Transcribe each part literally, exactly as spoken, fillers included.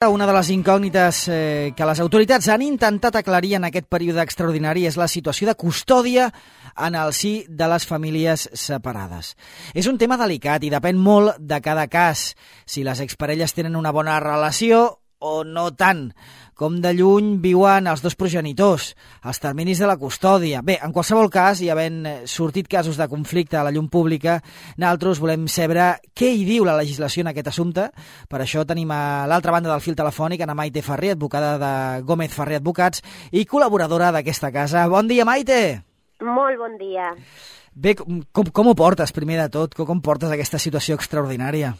Una de les incògnites eh, que les autoritats han intentat aclarir en aquest període extraordinari és la situació de custòdia en el si de les famílies separades. És un tema delicat i depèn molt de cada cas, si les exparelles tenen una bona relació o no tant, com de lluny viuen els dos progenitors, els terminis de la custòdia. Bé, en qualsevol cas, i havent sortit casos de conflicte a la llum pública, nosaltres volem saber què hi diu la legislació en aquest assumpte. Per això tenim a l'altra banda del fil telefònic Ana Maite Ferrer, advocada de Gómez Ferrer Advocats i col·laboradora d'aquesta casa. Bon dia, Maite! Molt bon dia. Bé, com, com ho portes, primer de tot? Com portes aquesta situació extraordinària?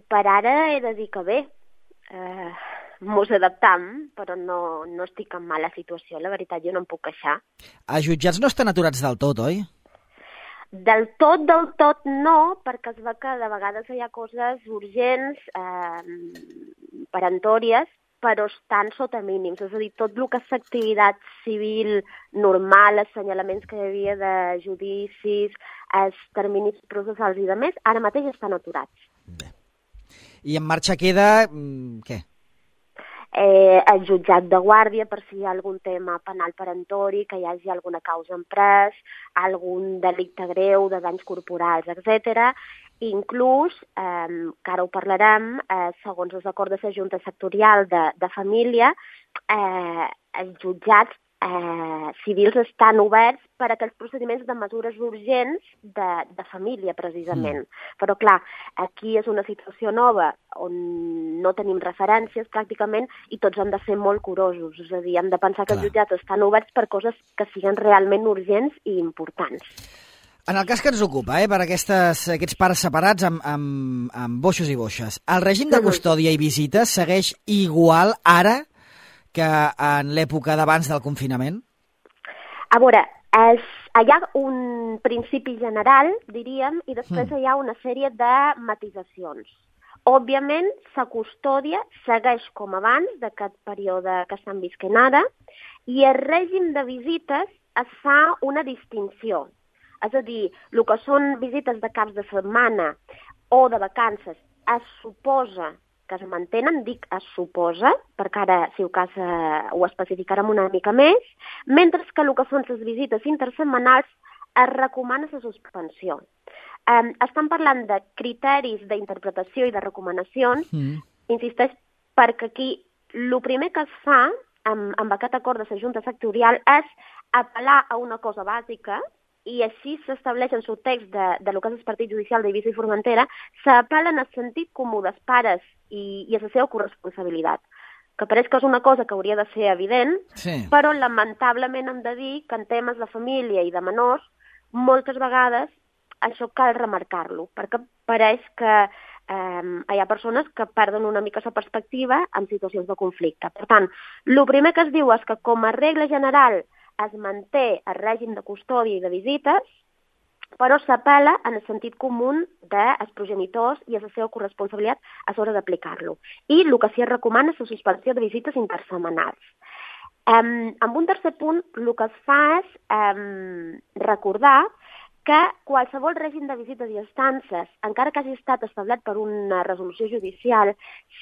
Per ara he de dir que bé. Uh, mos adaptam, però no, no estic en mala situació, la veritat, jo no em puc queixar. Els jutjats no estan aturats del tot, oi? Del tot, del tot no, perquè es veu que de vegades hi ha coses urgents, eh, peremptòries, però estan sota mínims, és a dir, tot el que és activitat civil normal, assenyalaments que hi havia de judicis, els terminis processals i de més, ara mateix estan aturats. Bé. I en marxa queda, què? Eh, el jutjat de guàrdia per si hi ha algun tema penal perentori, que hi hagi alguna causa en pres, algun delicte greu de danys corporals, etcètera. Inclús, eh, que ara ho parlarem, eh, segons els acords de la Junta Sectorial de, de Família, eh, els jutjats eh, civils estan oberts per a aquells procediments de mesures urgents de, de família, precisament. Mm. Però, clar, aquí és una situació nova on no tenim referències, pràcticament, i tots hem de ser molt curosos. És a dir, hem de pensar que clar, els jutjats estan oberts per coses que siguin realment urgents i importants. En el cas que ens ocupa, eh, per aquestes, aquests pares separats amb, amb, amb boixos i boixes, el règim de custòdia i visites segueix igual ara que en l'època d'abans del confinament? A veure, és, hi ha un principi general, diríem, i després mm. hi ha una sèrie de matisacions. Òbviament, la custòdia segueix com abans d'aquest període que estan visquent ara, i el règim de visites es fa una distinció. És a dir, el que són visites de caps de setmana o de vacances es suposa que es mantenen, dic es suposa, perquè ara, si ho cas, eh, ho especificarem una mica més, mentre que el que són les visites intersetmanals es recomana la suspensió. Eh, estan parlant de criteris d'interpretació i de recomanacions, mm. insisteix, perquè aquí el primer que es fa amb, amb aquest acord de la Junta Sectorial és apel·lar a una cosa bàsica, i així s'estableix en el text de, de lo que és el partit judicial d'Eivissa i Formentera, s'apel·la en el sentit comú dels pares i, i a la seva corresponsabilitat, que pareix que és una cosa que hauria de ser evident, sí. Però lamentablement hem de dir que en temes de família i de menors, moltes vegades això cal remarcar-lo, perquè pareix que eh, hi ha persones que perden una mica la perspectiva en situacions de conflicte. Per tant, el primer que es diu és que com a regla general es manté el règim de custòdia i de visites, però s'apel·la en el sentit comú dels progenitors i a la seva corresponsabilitat a l'hora d'aplicar-lo. I el que s'hi recomana és la suspensió de visites intersetmanals. Um, amb un tercer punt, el que es fa és um, recordar que qualsevol règim de visites i estances, encara que hagi estat establert per una resolució judicial,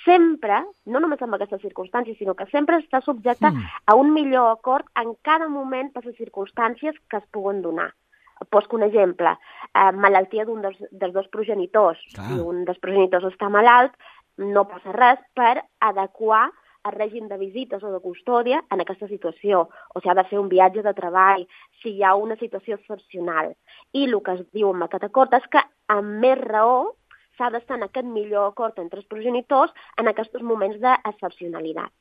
sempre, no només en aquestes circumstàncies, sinó que sempre està subjecte mm. a un millor acord en cada moment per les circumstàncies que es puguen donar. Poso un exemple, eh, malaltia d'un dels, dels dos progenitors. Ah. Si un dels progenitors està malalt, no passa res per adequar el règim de visites o de custòdia en aquesta situació, o si ha de fer un viatge de treball, si hi ha una situació excepcional. I el que es diu en aquest acord és que, amb més raó, s'ha d'estar en aquest millor acord entre els progenitors en aquests moments d'excepcionalitat.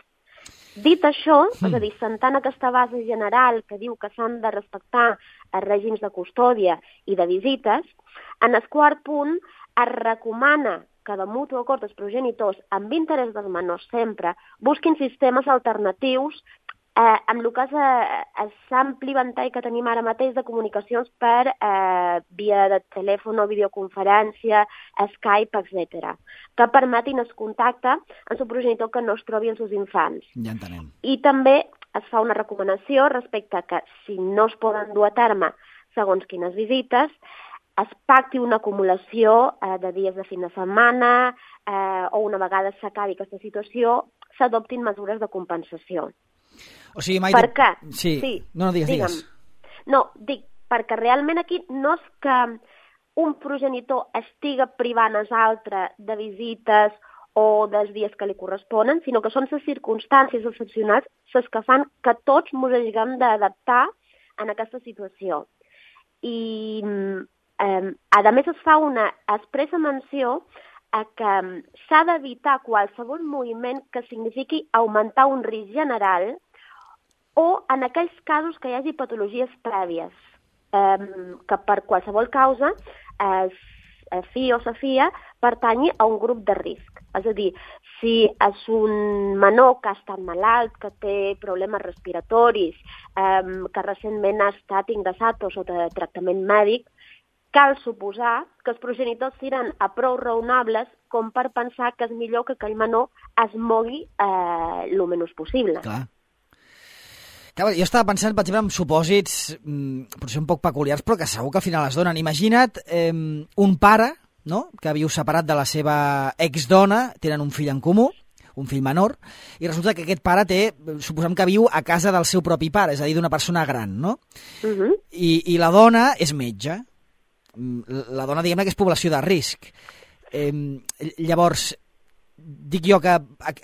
Dit això, mm. és a dir, sentant aquesta base general que diu que s'han de respectar els règims de custòdia i de visites, en el quart punt es recomana que de mutu acord dels progenitors, amb interès dels menors sempre, busquin sistemes alternatius eh, amb el que és eh, l'ampli ventall que tenim ara mateix de comunicacions per eh, via de telèfon o videoconferència, Skype, etcètera, que permetin el contacte amb el progenitor que no es trobi amb els infants. Ja entenem. I també es fa una recomanació respecte a que si no es poden dur a terme segons quines visites, es pacti una acumulació eh, de dies de fin de setmana eh, o una vegada s'acabi aquesta situació, s'adoptin mesures de compensació. O sigui, Maite... Per què? Sí. sí. No, no, digues, Digue'm. digues. No, dic, perquè realment aquí no és que un progenitor estiga privant els altres de visites o dels dies que li corresponen, sinó que són les circumstàncies excepcionals les que fan que tots ens haguem d'adaptar en aquesta situació. I, eh, a més, es fa una expressa menció a que s'ha d'evitar qualsevol moviment que signifiqui augmentar un risc general o en aquells casos que hi hagi patologies prèvies, eh, que per qualsevol causa es fi o sa filla pertanyi a un grup de risc. És a dir, si és un menor que ha estat malalt, que té problemes respiratoris, eh, que recentment ha estat ingressat o sota tractament mèdic, cal suposar que els progenitors seran a prou raonables com per pensar que és millor que aquell menor es mogui eh, el menys possible. Clar. Clar, jo estava pensant, per exemple, en supòsits mmm, potser un poc peculiars, però que segur que al final es donen. Imagina't eh, un pare, no?, que viu separat de la seva exdona, tenen un fill en comú, un fill menor, i resulta que aquest pare té, suposem que viu a casa del seu propi pare, és a dir, d'una persona gran, no? Uh-huh. I, I la dona és metge. La dona, diguem-ne, que és població de risc. Eh, llavors, dic jo que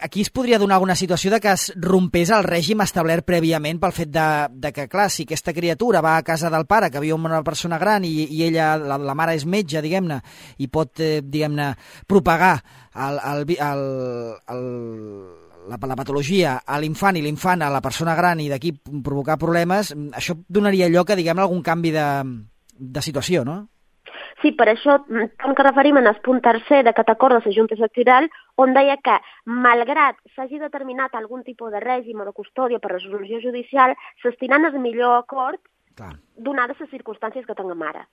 aquí es podria donar alguna situació de que es rompés el règim establert prèviament pel fet de, de que, clar, si aquesta criatura va a casa del pare, que viu amb una persona gran i, i ella, la, la mare és metge, diguem-ne, i pot, eh, diguem-ne, propagar el, el, el, el, la, la patologia a l'infant i l'infant a la persona gran i d'aquí provocar problemes, això donaria lloc a, diguem-ne, algun canvi de, de situació, no? Sí, per això, com que referim en el punt tercer d'aquest acord de la Junta Sectorial, on deia que, malgrat s'hagi determinat algun tipus de règim o de custòdia per resolució judicial, s'estiran el millor acord donades les circumstàncies que tinguem ara.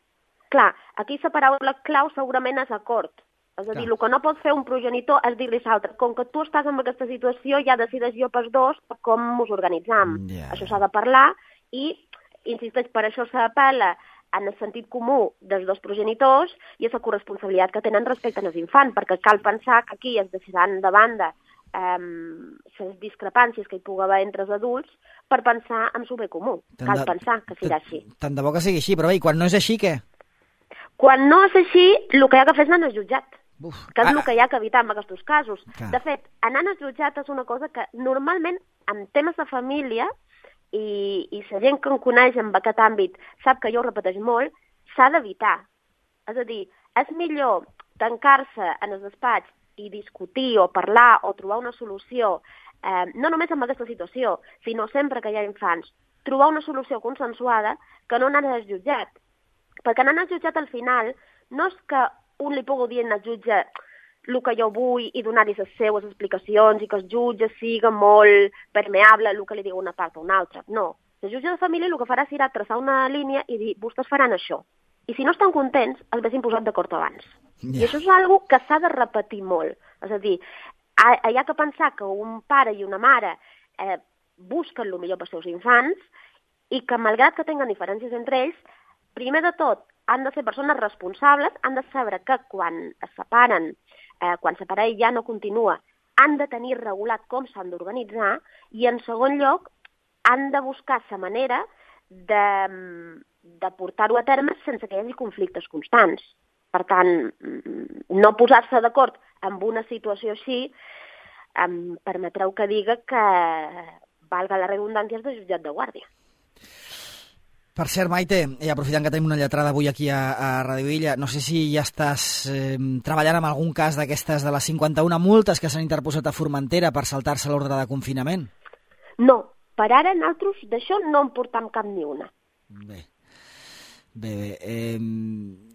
Clar, aquí la paraula clau segurament és acord. És a dir, el que no pot fer un progenitor és dir-li a l'altre, com que tu estàs en aquesta situació, ja decideix jo pels dos com ens organitzam. Yeah. Això s'ha de parlar i, insisteix, per això s'apel·la en el sentit comú dels dos progenitors i és la corresponsabilitat que tenen respecte als infants, perquè cal pensar que aquí es deixaran de banda les eh, discrepàncies que hi pugui haver entre els adults per pensar en el bé comú. Tant cal de, pensar que serà així. Tant de bo que sigui així, però bé, i quan no és així, què? Quan no és així, el que hi ha que fer és anar al jutjat, Uf. que és ah, el que hi ha que evitar en aquests casos. Clar. De fet, anar al jutjat és una cosa que normalment en temes de família i, i la gent que em coneix en aquest àmbit sap que jo ho repeteix molt, s'ha d'evitar. És a dir, és millor tancar-se en el despatx i discutir o parlar o trobar una solució, eh, no només en aquesta situació, sinó sempre que hi ha infants, trobar una solució consensuada que no anar al jutjat. Perquè anar al jutjat al final no és que un li pugui dir al jutge el que jo vull i donar-li les seues explicacions i que el jutge siga molt permeable el que li diu una part o una altra. No. El jutge de família el que farà serà traçar una línia i dir, vostès faran això. I si no estan contents, els haguessin posat d'acord abans. Yeah. I això és una cosa que s'ha de repetir molt. És a dir, hi ha que pensar que un pare i una mare eh, busquen el millor pels seus infants i que, malgrat que tinguin diferències entre ells, primer de tot, han de ser persones responsables, han de saber que quan es separen, eh, quan la parella ja no continua, han de tenir regulat com s'han d'organitzar i, en segon lloc, han de buscar la manera de, de portar-ho a terme sense que hi hagi conflictes constants. Per tant, no posar-se d'acord amb una situació així em permetreu que diga que, valga la redundància, és de jutjat de guàrdia. Per cert, Maite, i aprofitant que tenim una lletrada avui aquí a, a Radio Illa, no sé si ja estàs eh, treballant en algun cas d'aquestes de les cinquanta-una multes que s'han interposat a Formentera per saltar-se l'ordre de confinament? No, per ara nosaltres d'això no en portam cap ni una. Bé, bé, bé. Eh,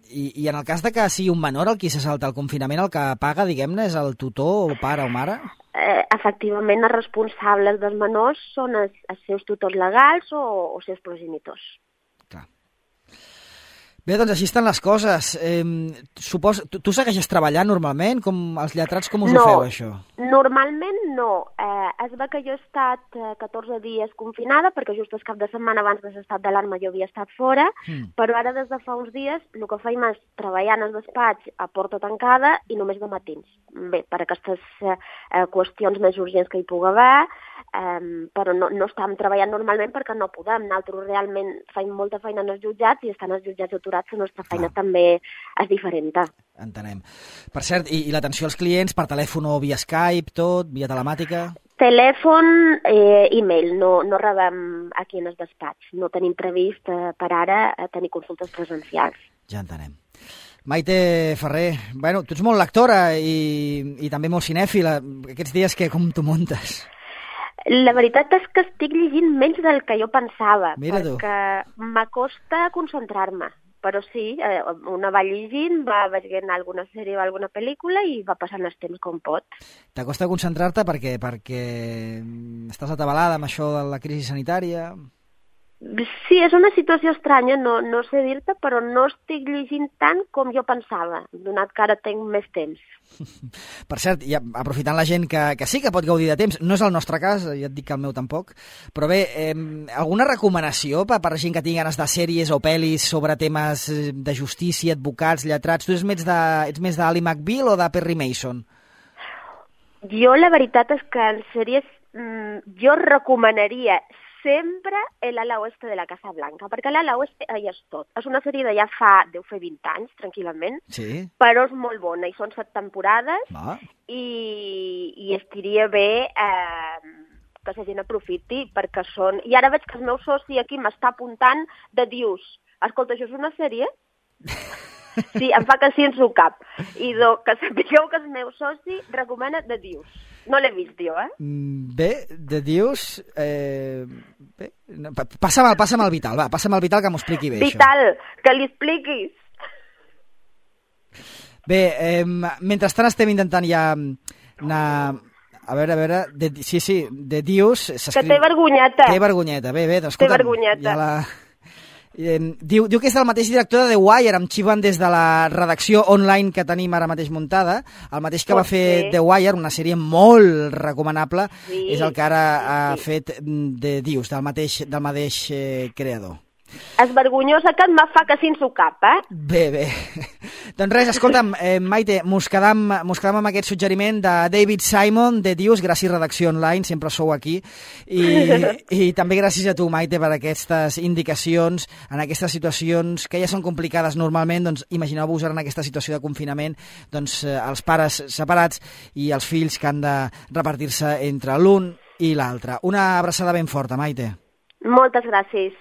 i, I en el cas de que sigui un menor el qui se salta el confinament, el que paga, diguem-ne, és el tutor o pare o mare? Eh, efectivament, els responsables dels menors són els, els seus tutors legals o els seus progenitors. Clar. Bé, doncs així estan les coses. Eh, supos... tu, tu segueixes treballant normalment? Com els lletrats, com us no, ho feu, això? Normalment no. Eh, es ve que jo he estat eh, catorze dies confinada, perquè just el cap de setmana abans de l'estat d'alarma jo havia estat fora, mm. però ara des de fa uns dies el que faim és treballar en el despatx a porta tancada i només de matins. Bé, per aquestes eh, qüestions més urgents que hi pugui haver, eh, però no, no estàvem treballant normalment perquè no podem. Nosaltres realment faim molta feina en els jutjats i estan els jutjats aturats, la nostra feina ah. també és diferent. Entenem. Per cert, i, i l'atenció als clients per telèfon o via Skype, tot, via telemàtica? Telèfon, eh, e-mail, no, no rebem aquí en el despatx. No tenim previst eh, per ara tenir consultes presencials. Ja entenem. Maite Ferrer, bueno, tu ets molt lectora i, i també molt cinèfila. Aquests dies que com t'ho muntes? La veritat és que estic llegint menys del que jo pensava, Mira perquè m'acosta concentrar-me. Però sí, eh, una va llegint, va veient alguna sèrie o alguna pel·lícula i va passant el temps com pot. T'acosta concentrar-te perquè, perquè estàs atabalada amb això de la crisi sanitària? Sí, és una situació estranya, no, no sé dir-te, però no estic llegint tant com jo pensava, donat que ara tinc més temps. Per cert, ja, aprofitant la gent que, que sí que pot gaudir de temps, no és el nostre cas, ja et dic que el meu tampoc, però bé, eh, alguna recomanació per, per gent que tingui ganes de sèries o pel·lis sobre temes de justícia, advocats, lletrats? Tu ets més de, ets més d'Ally McBeal o de Perry Mason? Jo la veritat és que en sèries mmm, jo recomanaria sempre l'ala oeste de la Casa Blanca, perquè l'ala oeste ja és tot. És una sèrie de ja fa, deu fer vint anys, tranquil·lament, sí. Però és molt bona, i són set temporades, Va. i, i estiria bé eh, que la gent aprofiti, perquè són... I ara veig que el meu soci aquí m'està apuntant de dius, escolta, això és una sèrie? Sí, em fa que sí en su cap. I do, que sapigueu que el meu soci recomana de dius. No l'he vist jo, eh? Bé, de dius... Eh, bé, passa'm, el, passa'm el Vital, va, passa'm el Vital que m'ho expliqui bé, Vital, això. Que li expliquis. Bé, eh, mentrestant estem intentant ja anar... A veure, a veure... De, sí, sí, de dius... Que té vergonyeta. Té vergonyeta, bé, bé. Doncs, té vergonyeta. Ja la... Eh, diu, diu que és el mateix director de The Wire, em xiven des de la redacció online que tenim ara mateix muntada, el mateix que Pot va fer ser. The Wire, una sèrie molt recomanable, sí, és el que ara sí, ha sí. fet de Dius, del mateix, del mateix eh, creador. És vergonyosa que em fa que sí en su cap, eh? Bé, bé. Doncs res, escolta'm, eh, Maite, mos quedam, mos quedam amb aquest suggeriment de David Simon, de Dius, gràcies Redacció Online, sempre sou aquí, i, i també gràcies a tu, Maite, per aquestes indicacions, en aquestes situacions que ja són complicades normalment, doncs imagineu-vos ara en aquesta situació de confinament, doncs eh, els pares separats i els fills que han de repartir-se entre l'un i l'altre. Una abraçada ben forta, Maite. Moltes gràcies.